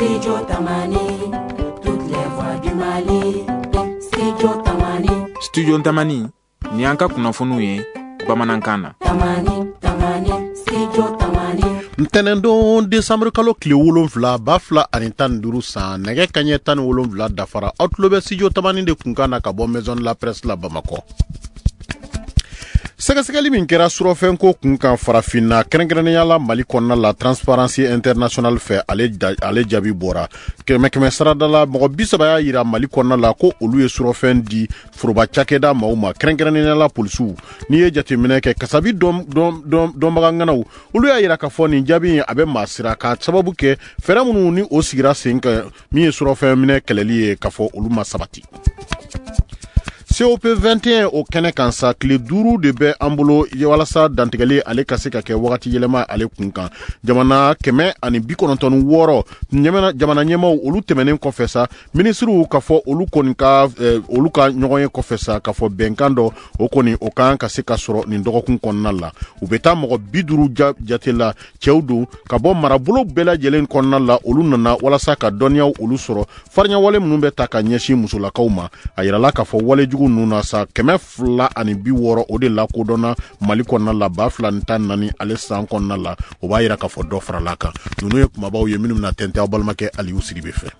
Studio Tamani, toutes les voix du Mali. Studio Tamani. Studio Tamani, ni an ka kunnafoniw ye bamanankan na. Tamani, Tamani, Studio Tamani. Ntɛnɛndon desanburu kalo tile 7 2015 san, nɛgɛ kaɲɛ 17 dafara. Aw tulo bɛ Studio Tamani de kunkan na ka bɔ Maison de la Presse la Bamakɔ. Sɛgɛsɛgɛli min kɛra surɔfɛnko kun kan farafinna, kɛrɛnkɛrɛnnenya la Mali kɔnɔna la, Transparency International fɛ, ale jaabi bɔra. Kɛmɛ kɛmɛ sarada la, mɔgɔ 30 y'a yira Mali kɔnɔna la ko olu ye surɔfɛn di foroba cakɛda maaw ma, kɛrɛnkɛrɛnnenya la polisiw. N'i ye jateminɛ kɛ, kasabi dɔnbaga ŋanaw, olu y'a yira k'a fɔ nin jaabi in a bɛ maa siran, k'a sababu kɛ fɛɛrɛ minnu ni o sigira sen kan min ye surɔfɛn minɛ kɛlɛli ye, k'a fɔ olu ma sabati. COP 21 o kɛnɛ kan sa, tile 5 de bɛ an bolo walasa dantigɛli ale ka se ka kɛ wagati yɛlɛma ale kun kan. Jamana 196 jamana ɲɛmaaw olu tɛmɛnen kɔfɛ sa, minisiriw k'a fɔ olu kɔni ka olu ka ɲɔgɔn ye kɔfɛ sa, k'a fɔ bɛnkan dɔ o kɔni o kan ka se ka sɔrɔ nin dɔgɔkun kɔnɔna la. U bɛ taa mɔgɔ 50 jate la, cɛw don ka bɔ marabolo bɛɛ lajɛlen kɔnɔna la. Olu nana walasa ka dɔnniyaw olu sɔrɔ farinyawale minnu bɛ ta ka ɲɛsin musolakaw ma. A yirala k'a fɔ walejugu ninnu na sa, 260 o de lakodɔnna Mali kɔnɔna la 2014 ale san kɔnɔna la. O b'a yira k'a fɔ dɔ farala kan. Ninnu ye kumabaw ye minnu bɛna tɛntɛn aw balimakɛ Aliyu Sidibe fɛ.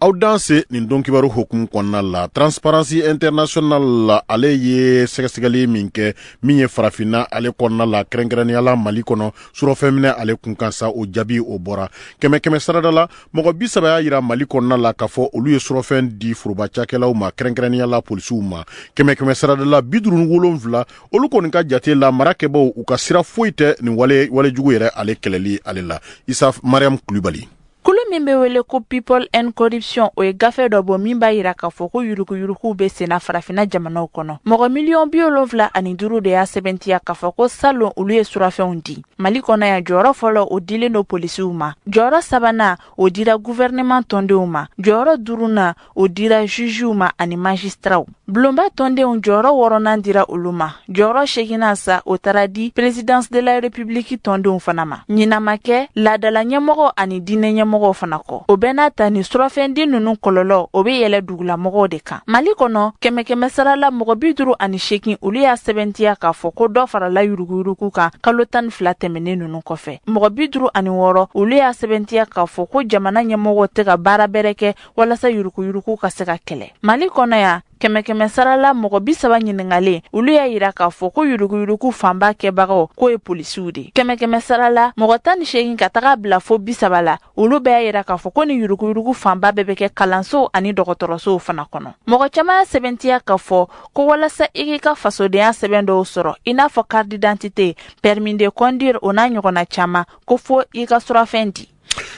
Aw danse nin don kibaru hukumu kɔnɔna la, Transparency International la, ale ye sɛgɛsɛgɛli min kɛ min ye farafinna ale kɔnɔna la, kɛrɛnkɛrɛnnenya la Mali kɔnɔ, surɔfɛnminɛ ale kun kan sa, o jaabi o bɔra. Kɛmɛ kɛmɛ sarada la, mɔgɔ 30 y'a yira Mali kɔnɔna la k'a fɔ olu ye surɔfɛn di foroba cakɛlaw ma, kɛrɛnkɛrɛnnenya la polisiw ma. Kɛmɛ kɛmɛ sarada la, 57 olu kɔni ka jate la, mara kɛbaw u ka sira foyi tɛ nin walejugu yɛrɛ ale kɛlɛli ale la. Isa Mariam Kulibali. Kulu min bɛ wele ko People and Corruption, o ye gafe dɔ bɔ min b'a yira k'a fɔ ko yuruguyuruguw bɛ senna farafinna jamanaw kɔnɔ. Mɔgɔ 75 miliyɔn de y'a sɛbɛntiya k'a fɔ ko salon olu ye surafɛnw di. Mali kɔnɔ yan, jɔyɔrɔ fɔlɔ o dilen don polisiw ma, jɔyɔrɔ sabanan o dira gouvernement tɔndenw ma, jɔyɔrɔ duurunan o dira jugew ma ani magistraw. Bulonba tɔndenw, jɔyɔrɔ wɔɔrɔnan dira olu ma, jɔyɔrɔ seginnan sa o taara di présidence de la République tɔndenw fana ma. Ɲinan ma kɛ laadala ɲɛmɔgɔ ani diinɛ ɲɛmɔgɔw fana kɔ. O bɛɛ n'a ta, nin surafɛnden ninnu kɔlɔlɔ o bɛ yɛlɛ dugulamɔgɔw de kan. Mali kɔnɔ, kɛmɛ kɛmɛ sara la, mɔgɔ 58 olu y'a sɛbɛntiya k'a fɔ ko dɔ farala yuruguyurugu kan kalo 12 tɛmɛnen ninnu kɔfɛ. Mɔgɔ 56 olu y'a sɛbɛntiya k'a fɔ ko jamana ɲɛmɔgɔw tɛ ka baara bɛrɛ kɛ walasa yuruguyurugu ka se ka kɛlɛ. Mali kɔnɔ yan, kɛmɛ kɛmɛ sara la, mɔgɔ 30 ɲininkalen olu y'a yira k'a fɔ ko yuruguyurugu fanba kɛbagaw k'o ye polisiw de. Kɛmɛ kɛmɛ sara la, mɔgɔ 18 ka taga bila fo 30 la, olu bɛɛ y'a yira k'a fɔ ko ni yuruguyurugu fanba bɛɛ bɛ kɛ kalansow ani dɔgɔtɔrɔsow fana kɔnɔ. Mɔgɔ caman y'a sɛbɛntiya k'a fɔ ko walasa i k'i ka fasodenya sɛbɛn dɔw sɔrɔ, i n'a fɔ carte d'identité, permis de conduire, o n'a ɲɔgɔnna caman, ko fo i ka surafɛn di.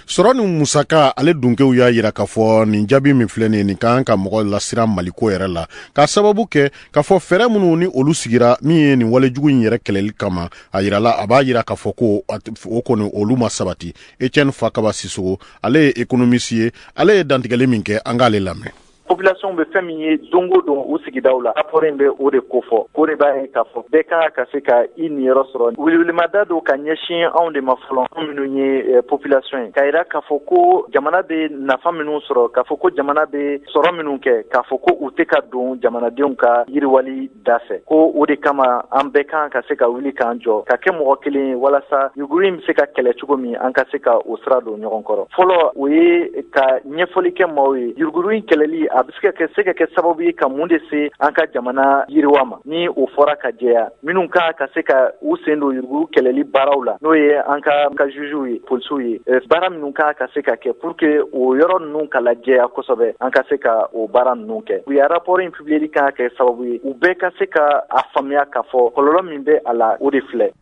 Sɔrɔ ni musaka ale dunkew y'a yira k'a fɔ nin jaabi min filɛ nin ye, nin kan ka mɔgɔ lasiran Maliko yɛrɛ la, k'a sababu kɛ k'a fɔ fɛɛrɛ minnu ni olu sigira min ye nin walejugu in yɛrɛ kɛlɛli kama, a yirala a b'a yira k'a fɔ ko o kɔni olu ma sabati. Etienne Fakaba Sisogo, ale ye économiste ye, ale ye dantigɛli min kɛ, an k'ale lamɛn. Population bɛ fɛn min ye don o don u sigidaw la, rapport in bɛ o de kofɔ, k'o de b'a ye k'a fɔ bɛɛ kan ka se ka i niyɔrɔ sɔrɔ. Welewelemada don ka ɲɛsin anw de ma fɔlɔ, anw minnu ye population ye, k'a yira k'a fɔ ko jamana bɛ nafa minnu sɔrɔ, k'a fɔ ko jamana bɛ sɔrɔ minnu kɛ, k'a fɔ ko u tɛ ka don jamanadenw ka yiriwali da fɛ, ko o de kama an bɛɛ kan ka se ka wuli k'an jɔ ka kɛ mɔgɔ kelen ye, walasa yuguri in bɛ se ka kɛlɛ cogo min, an ka se ka o sira don ɲɔgɔn kɔrɔ. Fɔlɔ, o ye ka ɲɛfɔli kɛ maaw ye, yuruguyurugu in kɛlɛli a bɛ se ka kɛ sababu ye ka mun de se an ka jamana yiriwa ma. Ni o fɔra ka jɛya, minnu kan ka se ka u sen don yurugu kɛlɛli baaraw la, n'o ye an ka jugew ye, polisiw ye, baara minnu kan ka se ka kɛ pour que o yɔrɔ ninnu ka lajɛya kosɛbɛ, an ka se ka o baara ninnu kɛ. U ye rapport in publier kan ka kɛ sababu ye u bɛɛ ka se ka a faamuya k'a fɔ kɔlɔlɔ min bɛ a la, o de filɛ.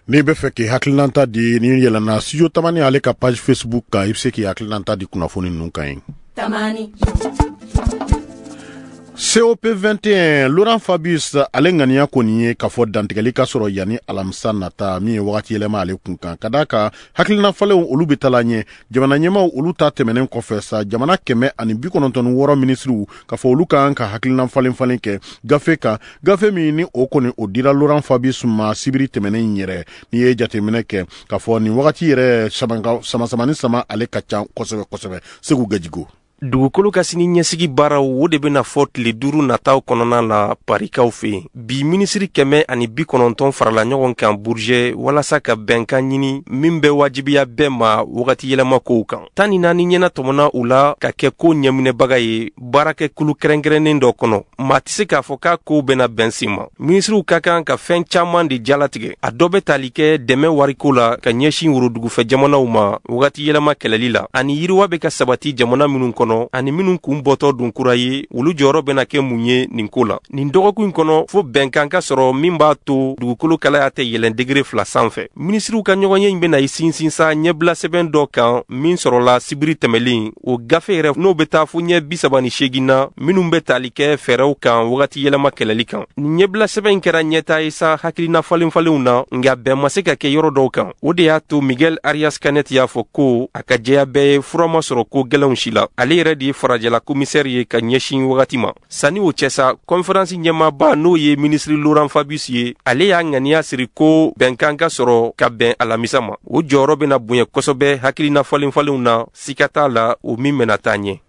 N'i bɛ fɛ k'i hakilinata di, n'i yɛlɛnna Studio Tamani ale ka page Facebook kan, i bɛ se k'i hakilinata di kunnafoni ninnu kan yen. Tamani. COP21, Laurent Fabius ale ŋaniya kɔni ye k'a fɔ dantigɛli ka sɔrɔ yanni alamisa nata, min ye wagati yɛlɛma ale kun kan, ka d'a kan hakilina falenw olu bɛ taala ɲɛ. Jamana ɲɛmaw olu ta tɛmɛnen kɔfɛ sa, jamana 196 minisiriw k'a fɔ olu kan ka hakilina falen falen kɛ gafe kan, gafe min ni o kɔni o dira Laurent Fabius ma sibiri tɛmɛnen in yɛrɛ. N'i ye jateminɛ kɛ k'a fɔ nin wagati yɛrɛ samasamani sama ale ka ca kosɛbɛ kosɛbɛ. Segu Gajigo. Dugukolo ka sini ɲɛsigi baaraw, o de bɛna fɔ tile 5 nataw kɔnɔna la Parikaw fɛ yen. Bi, minisiri 190 farala ɲɔgɔn kan Bourget walasa ka bɛnkan ɲini min bɛ wajibiya bɛɛ ma wagati yɛlɛma kow kan. 14 ɲɛna tɔmɔna u la ka kɛ ko ɲɛminɛbaga ye baarakɛkulu kɛrɛnkɛrɛnnen dɔ kɔnɔ. Maa tɛ se k'a fɔ k'a kow bɛna bɛn sen ma. Minisiriw ka kan ka fɛn caman de jalatigɛ. A dɔ bɛ tali kɛ dɛmɛ wariko la ka ɲɛsin worodugufɛ jamanaw ma wagati yɛlɛma kɛlɛli la, ani yiriwa bɛ ka sabati jamana minnu kɔnɔ ani minnu kun bɔtɔ don kura ye, olu jɔyɔrɔ bɛna kɛ mun ye nin ko la. Nin dɔgɔkun in kɔnɔ, fo bɛnkan ka sɔrɔ min b'a to dugukolo kalaya tɛ yɛlɛn degere 2 sanfɛ. Minisiriw ka ɲɔgɔnye in bɛna i sinsin sa ɲɛbila sɛbɛn dɔ kan min sɔrɔla sibiri tɛmɛlen. O gafe yɛrɛ, n'o bɛ taa fo ɲɛ 38 na, minnu bɛ tali kɛ fɛɛrɛw kan wagati yɛlɛma kɛlɛli kan. Nin ɲɛbila sɛbɛn in kɛra ɲɛtaa ye sa hakilina falen falenw na, nka bɛn ma se ka kɛ yɔrɔ dɔw kan. O de y'a to Miguel Arias Canet y'a fɔ ko a ka jɛya bɛɛ ye, fura ma sɔrɔ ko gɛlɛnw si la. Ale yɛrɛ de ye farajɛla komisɛri ye ka ɲɛsin wagati ma. Sanni o cɛ sa, kɔnferansi ɲɛmaaba, n'o ye minisiri Laurent Fabius ye, ale y'a ŋaniya siri ko bɛnkan ka sɔrɔ ka bɛn alamisa ma. O jɔyɔrɔ bɛna bonya kosɛbɛ hakilina falen falenw na, sika t'a la, o min bɛna taa ɲɛ.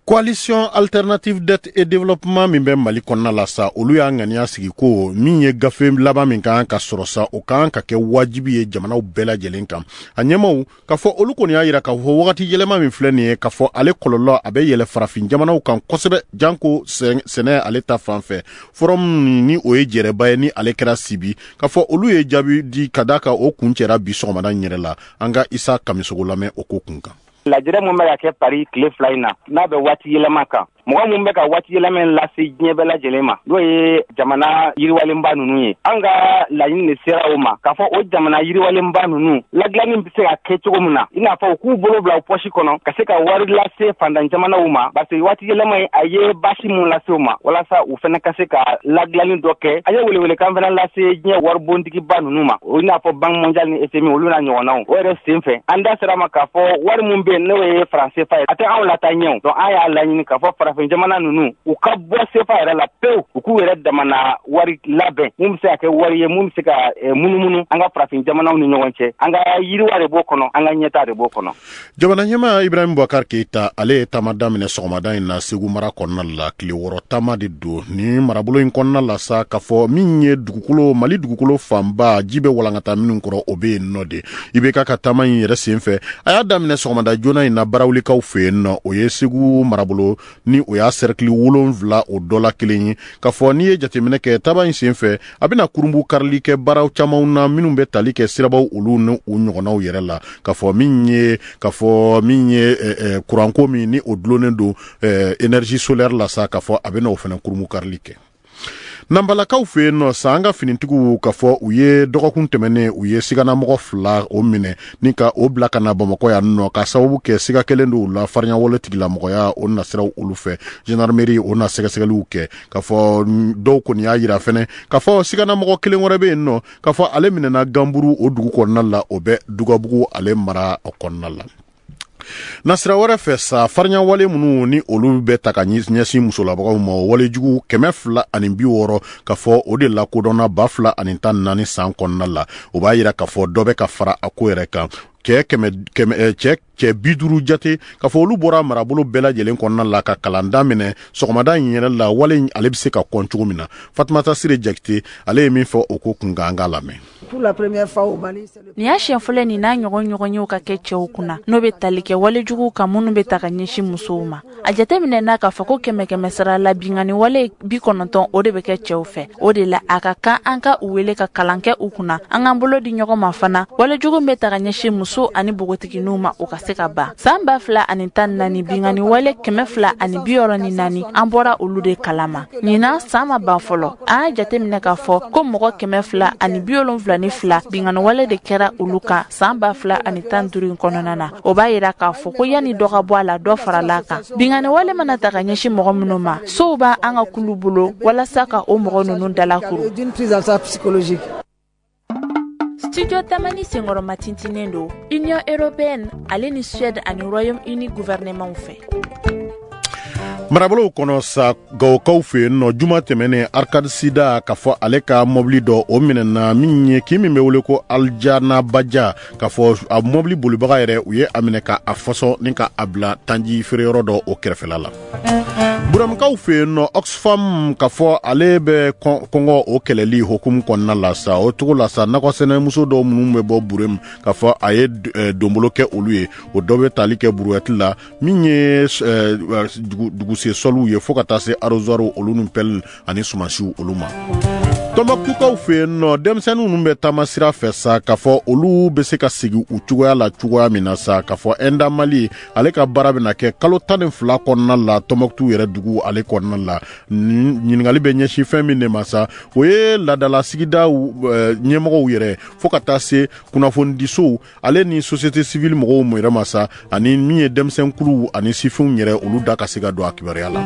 Coalition alternative dette et développement min bɛ Mali kɔnɔna la sa, olu y'a ŋaniya sigi ko min ye gafe laban min kan ka sɔrɔ sa, o kan ka kɛ wajibi ye jamanaw bɛɛ lajɛlen kan. A ɲɛmaw k'a fɔ olu kɔni y'a yira k'a fɔ wagati yɛlɛma min filɛ nin ye, k'a fɔ ale kɔlɔlɔ a bɛ yɛlɛ farafin jamanaw kan kosɛbɛ, janko sɛnɛ ale ta fan fɛ. Forum ni o ye jɛrɛba ye ni ale kɛra Sibi, k'a fɔ olu ye jaabi di ka d'a kan o kun cɛra bi sɔgɔmada in yɛrɛ la. An ka Isa Kamisogo lamɛn o ko kun kan. Lajɛrɛ mun bɛ ka kɛ Paris tile 2 in na, n'a bɛ waati yɛlɛma kan, mɔgɔ mun bɛ ka waati yɛlɛma in lase diɲɛ bɛɛ lajɛlen ma, n'o ye jamana yiriwalenba ninnu ye, an ka laɲini de sera o ma k'a fɔ o jamana yiriwalenba ninnu ladilanni bɛ se ka kɛ cogo min na, i n'a fɔ u k'u bolo bila u pɔsi kɔnɔ ka se ka wari lase fantan jamanaw ma, parce que waati yɛlɛma in a ye baasi mun lase u ma, walasa u fana ka se ka ladilanni dɔ kɛ. An ye welewelekan fana lase diɲɛ waribontigiba ninnu ma, o i n'a fɔ Banque mondiale ni FMI, olu n'a ɲɔgɔnnaw. O yɛrɛ sen fɛ, an da sera ma k'a fɔ wari mun bɛ yen, n'o ye franc CFA ye, a tɛ anw lataa ɲɛ o. Donc an y'a laɲini k'a fɔ farafin jamana ninnu, u ka bɔ CFA yɛrɛ la pewu, u k'u yɛrɛ damana wari labɛn mun bɛ se ka kɛ wari ye mun bɛ se ka munumunu an ka farafin jamanaw ni ɲɔgɔn cɛ. An ka yiriwa de b'o kɔnɔ, an ka ɲɛtaa de b'o kɔnɔ. Jamana ɲɛmaa Ibrahim Boubacar Keita, ale ye taama daminɛ sɔgɔmada in na Segu mara kɔnɔna la. Tile 6 taama de don ni marabolo in kɔnɔna la sa, k'a fɔ min ye dugukolo, Mali dugukolo fanba ji bɛ walankata minnu kɔrɔ, o bɛ yen nɔ de. IBK ka taama in yɛrɛ sen fɛ, a y'a daminɛ sɔgɔmada joona in na Barawulikaw fɛ yen nɔ. O ye Segu marabolo ni o y'a sɛrikili 7 o dɔ la kelen ye. K'a fɔ n'i ye jateminɛ kɛ taama in sen fɛ, a bɛna kurunbu karili kɛ baaraw camanw na minnu bɛ tali kɛ sirabaw olu ni u ɲɔgɔnnaw yɛrɛ la. K'a fɔ min ye kuranko min ni o dulonnen don énergie solaire la sa, k'a fɔ a bɛna o fana kurunbu karili kɛ. Nanbalakaw fɛ yen nɔ sa, an ka finitigiw k'a fɔ u ye dɔgɔkun tɛmɛnen, u ye siganamɔgɔ 2 o minɛ ni ka o bila ka na Bamakɔ yan nɔ, ka sababu kɛ siga kelen don u la farinyawale tigilamɔgɔya o nasiraw olu fɛ. Gendarmerie o na sɛgɛsɛgɛliw kɛ. K'a fɔ dɔw kɔni y'a yira fɛnɛ k'a fɔ siganamɔgɔ kelen wɛrɛ bɛ yen nɔ, k'a fɔ ale minɛna Ganburu o dugu kɔnɔna la, o bɛ Dugabugu ale mara kɔnɔna la. Nasira wɛrɛ fɛ sa, farinyawale minnu ni olu bɛ ta ka ɲɛsin musolabagaw ma, o walejugu 260, ka fɔ o de lakodɔnna 2014 san kɔnɔna la. O b'a yira k'a fɔ dɔ bɛ ka fara a ko yɛrɛ kan. Cɛ kɛmɛ kɛmɛ cɛ 50 jate, k'a fɔ olu bɔra marabolo bɛɛ lajɛlen kɔnɔna la ka kalan daminɛ sɔgɔmada in yɛrɛ la, wale ale bɛ se ka kɔn cogo min na. Fatumata Sire Jakite, ale ye min fɔ o ko kun kan, an k'a lamɛn. Nin y'a siɲɛ fɔlɔ nin n'a ɲɔgɔn ɲɔgɔn ka kɛ cɛw kunna, n'o bɛ tali kɛ walejuguw kan minnu bɛ ta ka ɲɛsin musow ma. A jateminɛ n'a k'a fɔ ko kɛmɛ kɛmɛ sara la, binkanni wale 90, o de bɛ kɛ cɛw fɛ. O de la, a ka kan an ka u wele ka kalan kɛ u kunna, an k'an bolo di ɲɔgɔn ma fana, walejugu bɛ ta ka ɲɛsin musow. Muso ani npogotigininw ma, o ka se ka ban. San 2014, binkanni wale 264, an bɔra olu de kalama. Ɲinan san ma ban fɔlɔ, an y'a jateminɛ k'a fɔ ko mɔgɔ 272 binkanni wale de kɛra olu kan san 2015 in kɔnɔna na. O b'a yira k'a fɔ ko yanni dɔ ka bɔ a la, dɔ farala a kan. Binkanni wale mana ta ka ɲɛsin mɔgɔ minnu ma, sow b'an ka kulu bolo walasa ka o mɔgɔ ninnu dalakuru. Studio Tamani senkɔrɔma tintinen don Union européenne ale ni Suède ani Royaume-Uni gouvernement fɛ. Marabolow kɔnɔ sa, Gawokaw fɛ yen nɔ, juma tɛmɛnen, Arcade Sida k'a fɔ ale ka mɔbili dɔ o minɛna, min ye kin min bɛ wele ko Aljana Baja, k'a fɔ a mɔbili bolibaga yɛrɛ, u ye a minɛ ka a fɔsɔn ni ka a bila tanji feereyɔrɔ dɔ o kɛrɛfɛla la. Burɛmukaw fɛ yen nɔ, Oxfam k'a fɔ ale bɛ kɔngɔ o kɛlɛli hokumu kɔnɔna la sa, o cogo la sa, nakɔsɛnɛmuso dɔw minnu bɛ bɔ Burɛmu, k'a fɔ a ye donbolo kɛ olu ye, o dɔ bɛ tali kɛ brouette la, min ye duguse sɔliw ye, fo ka taa se arrosoir olu ni pelle ani sumansiw olu ma. Tɔnbɔkutukaw fɛ yen nɔ, denmisɛnnin ninnu bɛ taama sira fɛ sa, k'a fɔ olu bɛ se ka sigi u cogoya la cogoya min na sa, k'a fɔ Enda Mali ale ka baara bɛna kɛ kalo 12 kɔnɔna la Tɔnbɔkutu yɛrɛ dugu ale kɔnɔna la. Ɲininkali bɛ ɲɛsin fɛn min de ma sa, o ye laadala sigidaw ɲɛmɔgɔw yɛrɛ, fo ka taa se kunnafonidisow ale ni société civile mɔgɔw yɛrɛ ma sa, ani min ye denmisɛnkuluw ani sifinw yɛrɛ, olu da ka se ka don a kibaruya la.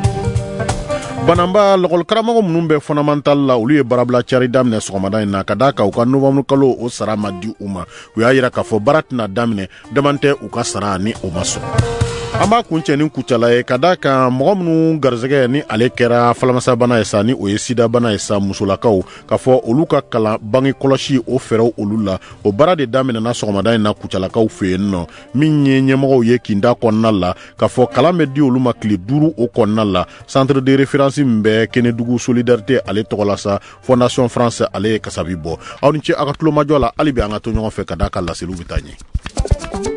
Bananba lɔkɔlikaramɔgɔ minnu bɛ fondamental la, olu ye baarabila cari daminɛ sɔgɔmada in na, ka d'a kan u ka novembre kalo o sara ma di u ma. U y'a yira k'a fɔ baara tɛna daminɛ daman tɛ u ka sara ni o ma sɔrɔ. An b'a kuncɛ ni Kucala ye, ka d'a kan mɔgɔ minnu garisɛgɛ ni ale kɛra falamasabana ye sa, ni o ye sidabana ye sa, musolakaw k'a fɔ olu ka kalan bange kɔlɔsi o fɛɛrɛw olu la, o baara de daminɛna sɔgɔmada in na Kucalakaw fɛ yen nɔ. Min ye ɲɛmɔgɔw ye kinda kɔnɔna la, k'a fɔ kalan bɛ di olu ma tile 5 o kɔnɔna la, centre de référence min bɛ Kenedugu solidarité ale tɔgɔ la sa, Fondation France ale ye kasabi bɔ. Aw ni ce aw ka tulomajɔ la. Hali bi an ka to ɲɔgɔn fɛ, ka d'a kan laseliw bɛ taa ɲɛ.